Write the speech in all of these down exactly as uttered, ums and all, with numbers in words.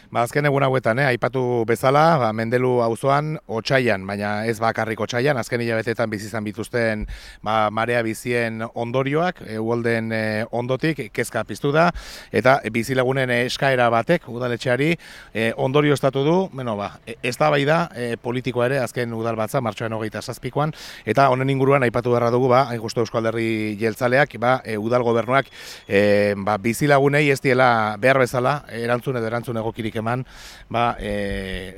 Ba, azken egun hauetan, eh, aipatu bezala, ba, Mendelu auzoan otsaian, baina ez bakarrik otsaian, azken hilabetetan bizi izan bituzten ba, marea bizien ondorioak, e, uholden e, ondotik kezka piztu da, eta bizilagunen eskaera batek udaletxeari e, ondorio estatu du, bueno, ba, eztabaida e, politikoa ere azken udalbatza, martxoaren hogeita zazpikoan, eta honen inguruan aipatu beharra dugu, ba, hain justu Eusko Alderdi Jeltzaleak, ba, e, udal gobernuak e, ba, bizilagunei ez diela behar bezala, erantzun edo erantzun egokirik eman, ba, e,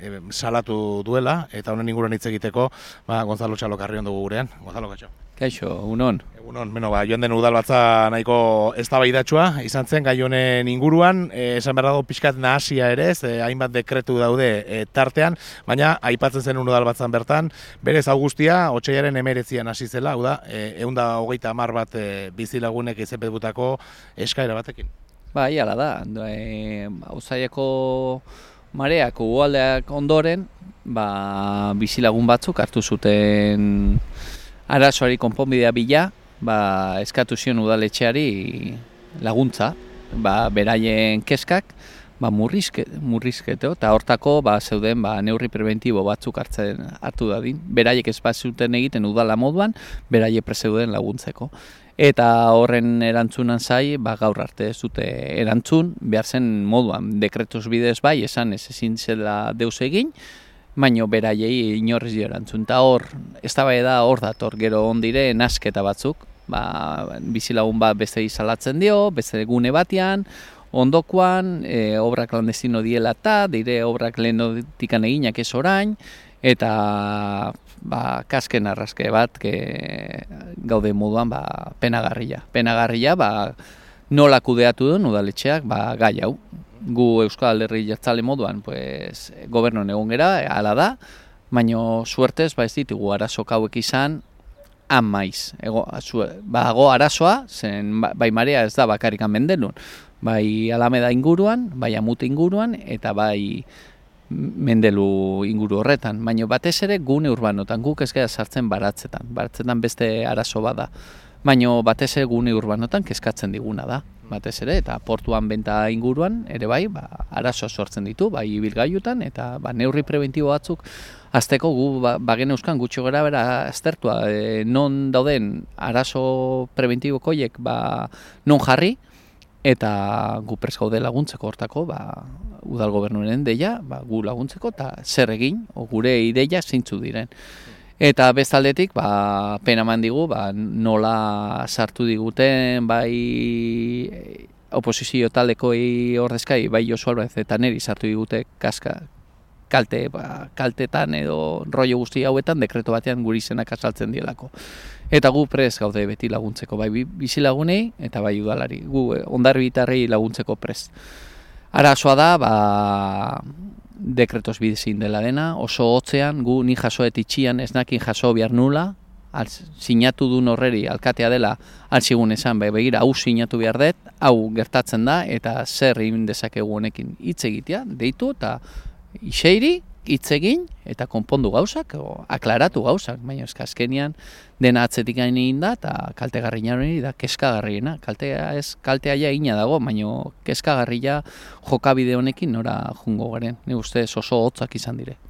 e, salatu duela, eta honen inguruan hitz egiteko, ba, Gonzalo Txalokarrion dugu gurean. Gonzalo, kaixo. Kaixo, egunon. Egunon, beno, ba, joan den udalbatza nahiko eztabaidatsua izan zen gai honen inguruan, e, esan behar dago pixkat nahasia ere ez, e, hainbat dekretu daude e, tartean, baina aipatzen zen udalbatzan bertan, berez augustia, otsaiaren hemeretzian hasi zela, hau da, e, ehun eta hogeita hamar bat e, bizilagunek izenpetutako eskaera batekin. Bai, hala da, e, Uztaileko mareak ugaldeak ondoren, ba, bizilagun batzuk hartu zuten arazoari konponbidea bila, ba, eskatu zion udaletxeari laguntza, ba, beraien kezkak, ba, murrizke, murrizketo, eta hortako ba, zeuden ba, neurri preventibo batzuk hartzen hartu dadin. Beraiek ez bazuten egiten udala moduan, beraiek prezeuden laguntzeko. Eta horren erantzunan zai, ba, gaur arte ez dute erantzun, behar zen moduan, dekretuz bidez bai, esan ez ezin zela deus egin, baino beraiei inorrez dio erantzun. Eta hor, ez da bai da hor dator, gero ondire nasketa batzuk, ba, bizilagun bat beste izalatzen dio, beste gune batean, ondokoan, e, obrak landestino diela eta, dire obrak lehenotikan eginak ez orain, eta ba, kasken arraske bat ke, gaude moduan ba, penagarria. Penagarria ba, nola kudeatu duen udaletxeak ba, gai hau. Gu Euskal Alderdi Jeltzale moduan pues, gobernuan egon gera, hala da, baino suertez ba, ez ditugu arazok hauek izan, han maiz. Ego, ba, go arazoa, zen bai marea ez da bakarikan Mendelun, bai Alameda inguruan, bai Amute inguruan, eta bai Mendelu inguru horretan, baina batez ere gune urbanotan, guk ez gara sartzen baratzetan, baratzetan beste arazo bada, baina batez ere gune urbanotan kezkatzen diguna da, batez ere, eta portuan benta inguruan, ere bai, ba, arazo sortzen ditu, bai ibilgailutan, eta ba, neurri preventibo batzuk, azteko gu ba, bagen euskan gutxo gara bera aztertua, e, non dauden arazo preventibo koiek ba, non jarri, eta gu prest gaude laguntzeko hortako, ba, udal gobernuaren deia, ba, gu laguntzeko, eta zer egin, o gure ideia zeintzu diren. Eta bestaldetik, ba, pena eman digu, ba, nola sartu diguten, bai oposizio taldekoi ordezkai, bai Josu Álvarez eta neri sartu digute kaska, kalte, ba, kaltetan edo rollo guzti hauetan dekreto batean guri izenak azaltzen dielako. Eta gu prest gaude beti laguntzeko, bai bizilagunei eta bai udalari, gu hondarribitarrei laguntzeko prest. Arazoa da, ba, dekretoz bidezin dela dena, oso hotzean, gu ni jasoet itxian ez nakin jaso behar nula, al, sinatu duen horreri alkatea dela altzigun esan, be, begira, hau sinatu behar dut, hau gertatzen da, eta zer egin dezakegu honekin hitz egitea, deitu eta iseiri, hitz egin eta konpondu gauzak, o, aklaratu gauzak, baina eska azkenian dena atzetik egin da eta kaltegarriena hori da kezkagarriena. Kaltea ez kaltea ja egina dago, baina kezkagarria jokabide honekin nora jungo garen. Ni ustez oso hotzak izan dire.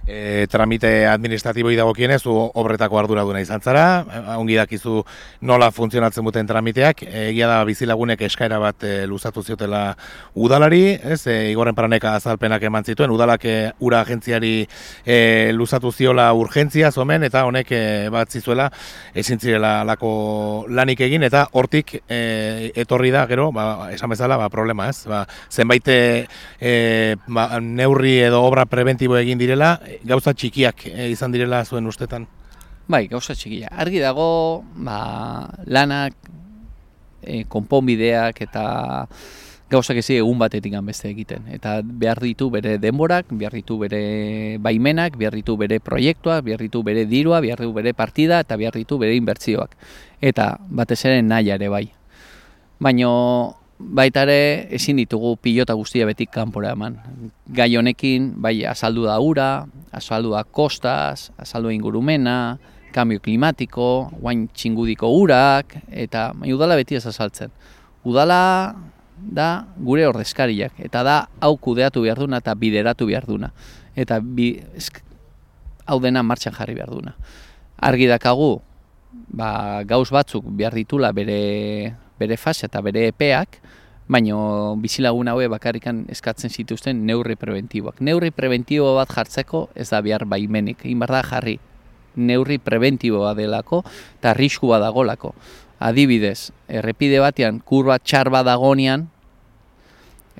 E, tramite administratiboi dagokienez, zu obretako arduraduna izan zara, ongi dakizu nola funtzionatzen duten tramiteak, egia da bizilagunek eskaera bat e, luzatu ziotela udalari, ez, e, Igorren Paraneka azalpenak eman zituen, udalak e, ura agentziari e, luzatu ziola urgentzia zomen, eta honek e, bat zizuela ezin zirela lako lanik egin, eta hortik e, etorri da, gero, ba, esan bezala, ba, problema, ez, ba, zenbait e, ba, neurri edo obra preventibo egin direla, gauza txikiak e, izan direla zuen ustetan? Bai, gauza txikia. Argi dago, ba, lanak, e, konponbideak eta gauzak ezi egun batetik beste egiten. Eta behar ditu bere denborak, behar ditu bere baimenak, behar ditu bere proiektuak, behar ditu bere dirua, behar ditu bere partida eta behar ditu bere inbertsioak. Eta batez ere naia ere bai. Baina baita ere ezin ditugu pilota guztia betik kanpora eman. Gai honekin bai azaldu da ura, azaldu da kostaz, azaldu da ingurumena, kambio klimatiko, guain txingudiko urak, eta bai, udala beti ez azaltzen. Udala da gure ordezkariak, eta da hau kudeatu behar duna eta bideratu behar duna. Eta bi, esk, hau dena martxan jarri behar duna. Argi dakagu, ba, gauz batzuk behar ditula bere, bere fase eta bere epeak, baina bizilagun haue bakarrikan eskatzen zituzten neurri preventiboak. Neurri preventibo bat jartzeko ez da behar baimenik, egin behar da jarri. Neurri preventiboa delako eta arriskua dagolako. Adibidez, errepide batean kurba txar bat dagonean,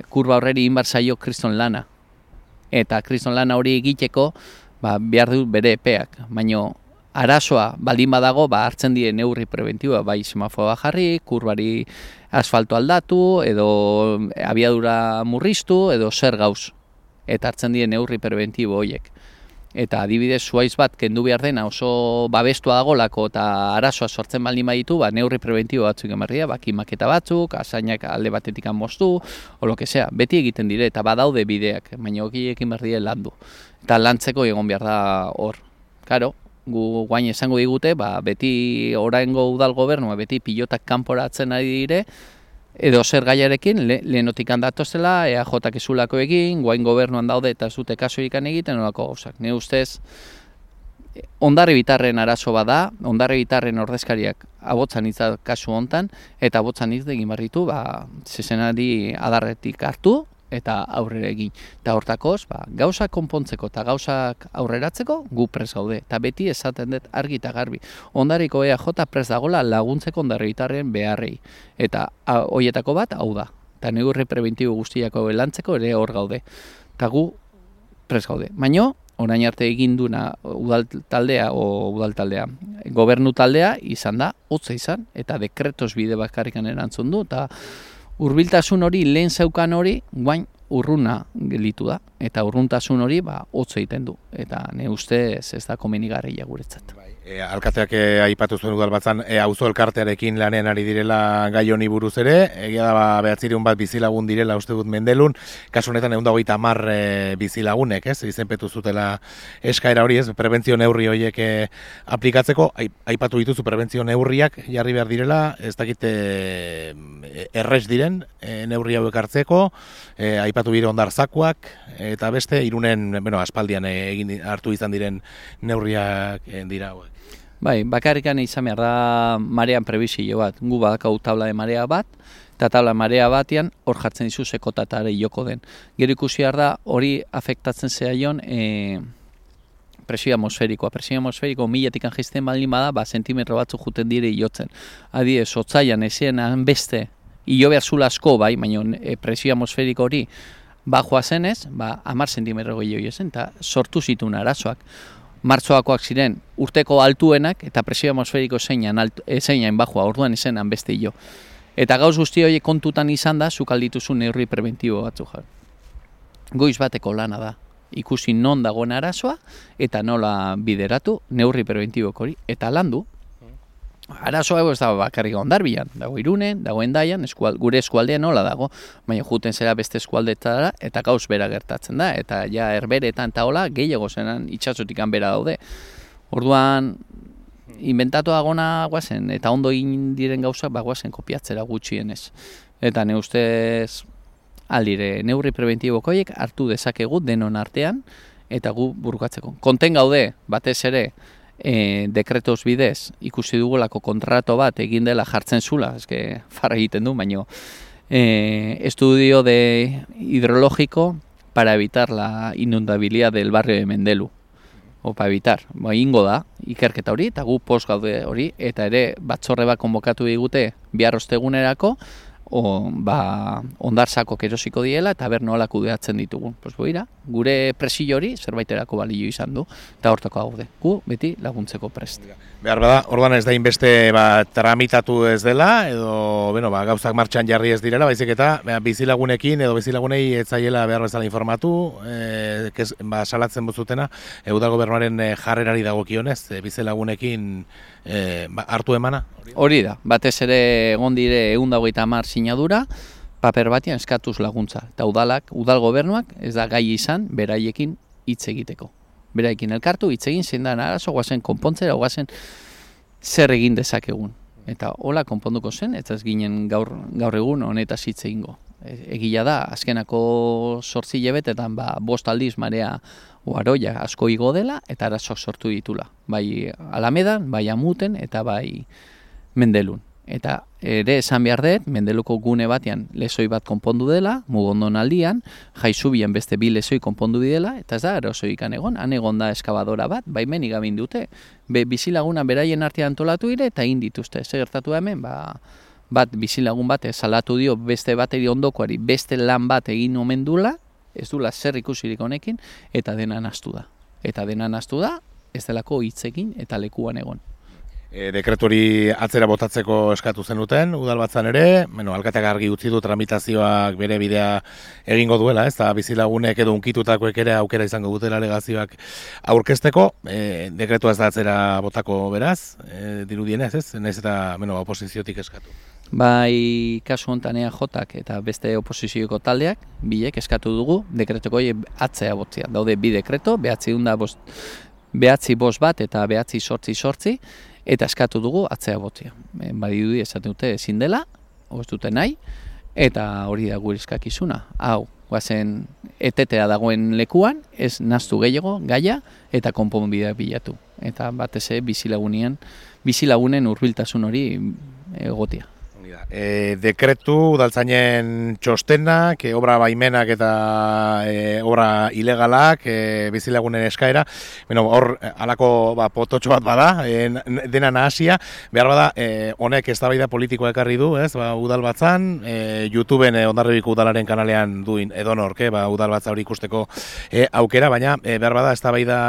kurba horreri egin behar zaio kriston lana. Eta kriston lana hori egiteko ba, behar du bere epeak. Baina arazoa baldin badago, ba, hartzen die neurri preventiboa, bai semafoa jarri, kurbari asfalto aldatu, edo abiadura murriztu, edo zer gauz. Eta hartzen die neurri preventibo horiek. Eta adibidez zuaiz bat kendu behar dena oso babestua dagolako eta arazoa sortzen baldin baditu, ba, neurri preventibo batzuk emarria, ba, kimaketa batzuk, asainak alde batetik moztu, o lo que sea, beti egiten dire, eta badaude bideak, baina okiekin behar dire landu. Eta lantzeko egon behar da hor. Karo, gu guain esango digute, ba, beti oraingo udal gobernua, beti pilotak kanporatzen ari dire, edo zer gaiarekin, le, lehenotik handatozela, E A J ezulako egin, guain gobernuan daude eta zute kaso ikan egiten, nolako gauzak. Ne ustez, ondare bitarren arazo bada, ondare bitarren ordezkariak abotzan hitza kasu hontan, eta abotzan hitz egin barritu, ba, zezenari adarretik hartu, eta aurrera egin. Eta hortakoz, ba, gauzak konpontzeko eta gauzak aurreratzeko gu pres gaude. Eta beti esaten dut argi eta garbi. Ondarriko E A J pres dagola laguntzeko ondarribitarren beharrei. Eta horietako bat hau da. Eta neurri preventibo guztiako lantzeko ere hor gaude. Eta gu pres gaude. Baina, orain arte egin duna udal taldea o udal taldea, gobernu taldea izan da, hotza izan, eta dekretos bide bakarrikan erantzun du, eta hurbiltasun hori, lehen zeukan hori, guain urruna gelitu da. Eta urruntasun hori, ba, hotza egiten du. Eta ne ustez ez da komenigarria guretzat. E, alkateak e, aipatu zuen udalbatzan, e, auzo elkartearekin lanean ari direla gai honi buruz ere, egia da ba, behatzireun bat bizilagun direla uste dut Mendelun, kasu honetan ehun eta hogeita hamar e, bizilagunek, ez, izenpetu zutela eskaera hori, ez, prebentzio neurri horiek e, aplikatzeko, aipatu dituzu prebentzio neurriak jarri behar direla, ez dakite e, errez diren e, neurri hauek hartzeko, e, aipatu bire ondarzakoak, eta beste, Irunen, bueno, aspaldian egin hartu izan diren neurriak e, dira hauek. Bai, bakarrikan izan behar da marean prebizio bat. Gu badakau tabla de marea bat, eta tabla marea batean hor jartzen dizu sekotatare joko den. Gero ikusi behar da hori afektatzen zehaion e, presio atmosferikoa. Presio atmosferiko miletik jaisten baldin bada, ba, sentimetro batzu juten dire iotzen. Adibidez, otzaian ezien beste, ilo behar zula asko, bai, baina e, presio atmosferiko hori bajoa zenez, ba, hamar sentimetro gehiago zen, eta sortu zituen arazoak. Martxoakoak ziren urteko altuenak eta presio atmosferiko zeinan, zeinan bajua, orduan izenan beste hilo. Eta gauz guzti horiek kontutan izan da, zuk aldituzu neurri preventibo batzu jar. Goiz bateko lana da, ikusi non dagoen arazoa eta nola bideratu neurri preventiboko hori, eta landu. Arazoa ez dago bakarrik Hondarbian, dago Irunen, dago Hendaian, eskual, gure eskualdean nola dago, baina juten zera beste eskualdetara eta gauz bera gertatzen da, eta ja herberetan eta hola gehiago zenan itxasotikan bera daude. Orduan, inventatu agona guazen, eta ondo egin diren gauzak ba, guazen kopiatzera gutxienez. Eta ne ustez aldire neurri preventiboko horiek hartu dezakegu denon artean, eta gu burukatzeko. Konten gaude, batez ere, E, dekretos bidez ikusi dugulako kontrato bat egin dela jartzen zula, eske farra egiten du, baino e, estudio de hidrológico para evitar la inundabilidad del barrio de Mendelu. O para evitar, ba, ingo da, ikerketa hori, eta gu post gaude hori, eta ere batzorre bat konbokatu digute bihar ostegunerako, o, ba, ondarzako erosiko diela eta ber nola kudeatzen ditugun. Pues boira, gure presio hori zerbaiterako balio izan du, eta hortako gaude. Gu beti laguntzeko prest. Behar bada, orduan ez da inbeste ba, tramitatu ez dela, edo bueno, ba, gauzak martxan jarri ez direla, baizik eta ba, bizilagunekin edo bizilagunei ez zaiela behar bezala informatu, e, kez, ba, salatzen bozutena, e, udal gobernuaren e, jarrerari dagokionez, e, bizilagunekin e, ba, hartu emana? Hori da, batez ere egon dire ehun eta hogeita hamar sinadura, paper batean eskatuz laguntza. Eta udalak, udal gobernuak ez da gai izan beraiekin hitz egiteko. Beraiekin elkartu, hitz egin zein da arazo, guazen konpontzera, guazen zer egin dezakegun. Eta hola konponduko zen, eta ez ginen gaur, gaur egun honetaz hitz egingo. egia da, azkenako zortzi hilabetetan ba, bost aldiz marea uaroia asko igo dela eta arazoak sortu ditula. Bai Alamedan, bai Amuten eta bai Mendelun. Eta ere esan behar dut, Mendeluko gune batean lezoi bat konpondu dela, Mugondon aldian, Jaizubian beste bi lezoi konpondu dela, eta ez da arazoikan egon, han egon da eskabadora bat, baimen igabin dute. Be, bizilaguna beraien artean antolatu dire eta egin dituzte. Zer gertatu hemen, ba, bat bizilagun bat salatu dio beste bateri ondokoari beste lan bat egin omen dula, ez dula zer ikusirik honekin, eta dena nahastu da. Eta dena nahastu da, ez delako hitzekin eta lekuan egon. E, dekretori atzera botatzeko eskatu zenuten, udalbatzan ere, bueno, alkateak argi utzi du tramitazioak bere bidea egingo duela, ez da bizilagunek edo unkitutakoek ere aukera izango dutela alegazioak aurkezteko, e, dekretua ez da atzera botako beraz, e, dirudienez, ez? Naiz eta, bueno, oposiziotik eskatu. Bai, kasu honetan E A Jak eta beste oposizioko taldeak, bilek eskatu dugu, dekretoko atzea botzea. Daude bi dekreto, behatzi hunda bost, behatzi bost bat eta behatzi sortzi sortzi, eta eskatu dugu atzea botzea. E, Badidudi esaten dute ezin dela, ez dute nahi, eta hori da gure eskakizuna. Hau, guazen etetea dagoen lekuan, ez naztu gehiago, gaia, eta konponbidea bilatu. Eta batez ere bizilagunean, bizilagunen hurbiltasun hori egotea. E, dekretu udaltzainen txostenak, e, obra baimenak eta e, obra ilegalak, e, bizilagunen eskaera, bueno, hor halako ba, pototxo bat bada, e, dena nahasia, behar bada, e, honek eztabaida politikoa ekarri du, ez, ba, udalbatzan, e, YouTubeen e, Hondarribiko udalaren kanalean duin edonorke, ba, udalbatza hori ikusteko e, aukera, baina e, behar bada, eztabaida,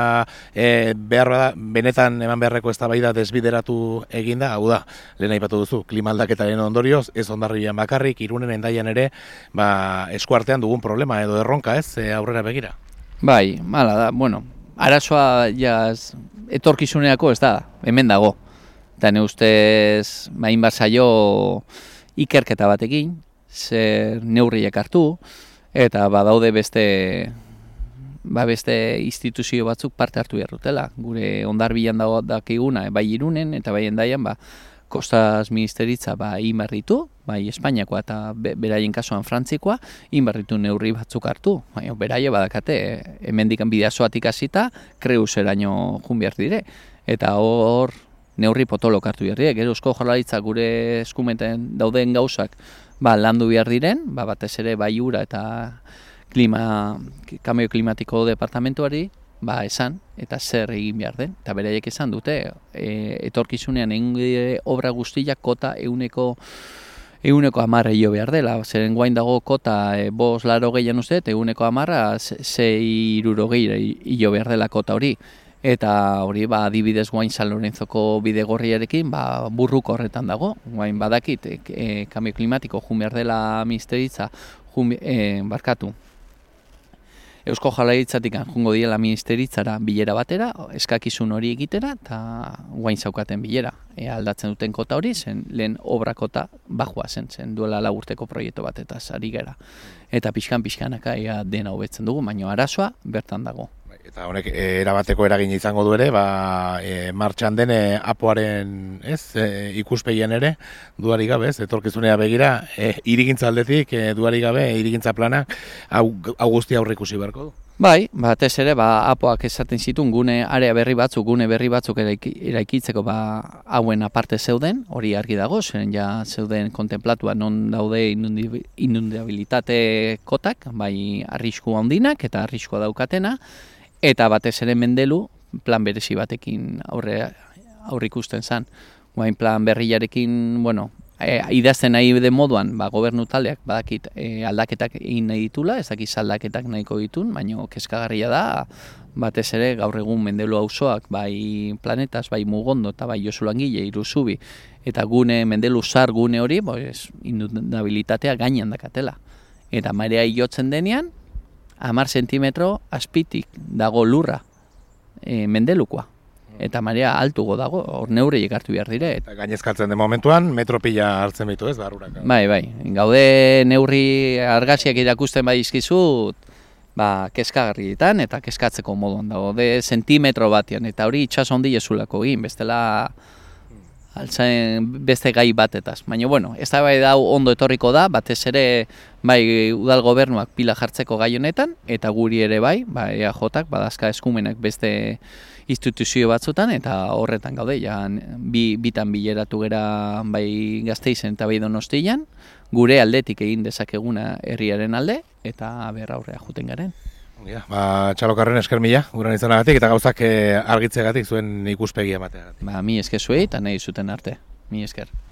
e, behar bada, benetan eman beharreko eztabaida desbideratu eginda, hau da, lehen aipatu duzu, klimaldaketaren ondorio, ez Hondarribian bakarrik, Irunen Hendaian ere, ba, eskuartean dugun problema edo erronka, ez, e, aurrera begira. Bai, mala da, bueno, arazoa jaz, etorkizuneako ez da, hemen dago. Eta ne ustez, main bat zaio ikerketa batekin, zer neurriak hartu, eta badaude beste, ba beste instituzio batzuk parte hartu behar dutela. Gure Hondarbian dago dakiguna, bai Irunen eta bai Hendaian, ba, Kostaz ministeritza ba, inbarritu, bai Espainiakoa eta be, beraien kasuan Frantzikoa, inbarritu neurri batzuk hartu. Baina beraie badakate, hemendikan bideazoatik hasita, Kreuseraino jun behar dire. Eta hor neurri potolok hartu behar dire. Gero Eusko Jaurlaritza gure eskumeten dauden gauzak ba, landu behar diren, ba, batez ere bai ura eta klima, kambio klimatiko departamentuari, ba esan, eta zer egin behar den. Eta beraiek esan dute, e, etorkizunean egin obra guztiak kota euneko, euneko amarra hilo behar dela. Zeren guain dago kota e, bos laro gehian uste, euneko amarra zei iruro gehi hilo behar dela kota hori. Eta hori, ba, adibidez guain San Lorenzoko bidegorriarekin, ba, burruko horretan dago. Guain badakit, e, e, kambio klimatiko jun behar dela ministeritza, jun, e, barkatu. Eusko Jaurlaritzatik jungo diela ministeritzara bilera batera, eskakizun hori egitera, eta guain zaukaten bilera. E, aldatzen duten kota hori, zen lehen obra kota bajua zen, zen duela laburteko proiektu bat eta ari gara. Eta pixkan-pixkanaka ea dena hobetzen dugu, baina arazoa bertan dago. Eta honek e, erabateko eragin izango du ere, ba, e, martxan den e, apoaren ez, e, ikuspegien ere, duari gabe, ez, etorkizunea begira, e, irigintza aldetik, e, duari gabe, irigintza plana, hau, hau guzti aurre ikusi beharko du. Bai, batez ere, ba, apoak esaten zituen gune area berri batzuk, gune berri batzuk eraiki, eraikitzeko ba, hauen aparte zeuden, hori argi dago, zen ja zeuden kontemplatua non daude inundabilitate kotak, bai arrisku handinak eta arriskua daukatena, eta batez ere Mendelu plan berezi batekin aurre, aurre ikusten zen. Guain plan berriarekin, bueno, e, idazten nahi den moduan, ba, gobernu taldeak badakit e, aldaketak egin nahi ditula, ez dakiz aldaketak nahiko ditun, baina kezkagarria da, batez ere gaur egun Mendelu auzoak, bai Planetas, bai Mugondo eta bai Josu Langile, Iruzubi, eta gune Mendelu zar gune hori, pues, inundabilitatea gainean dakatela. Eta marea jotzen denean, hamar zentimetro azpitik dago lurra e, Mendelukoa. Eta marea altugo dago, hor neurriek hartu behar dire. Eta gainezkatzen den momentuan, metropila hartzen bitu ez, barrurak. Bai, bai. Gaude neurri argazkiak irakusten badizkizut, ba, kezkagarrietan eta kezkatzeko moduan dago. De zentimetro batean, eta hori itxaso handi jezulako egin, bestela altzain beste gai batetaz. Baina, bueno, ez da bai dau ondo etorriko da, batez ere bai udal gobernuak pila jartzeko gai honetan, eta guri ere bai, bai E A Jak badazka eskumenak beste instituzio batzutan, eta horretan gaude, ja, bi, bitan bileratu gera bai Gasteizen eta bai Donostian, gure aldetik egin dezakeguna herriaren alde, eta berra aurrea juten garen. Ja, ba, Txalokarren esker mila, guran izanagatik, eta gauzak argitzegatik zuen ikuspegia emateagatik. Ba, mi esker zuei, eta nahi zuten arte. Mi esker.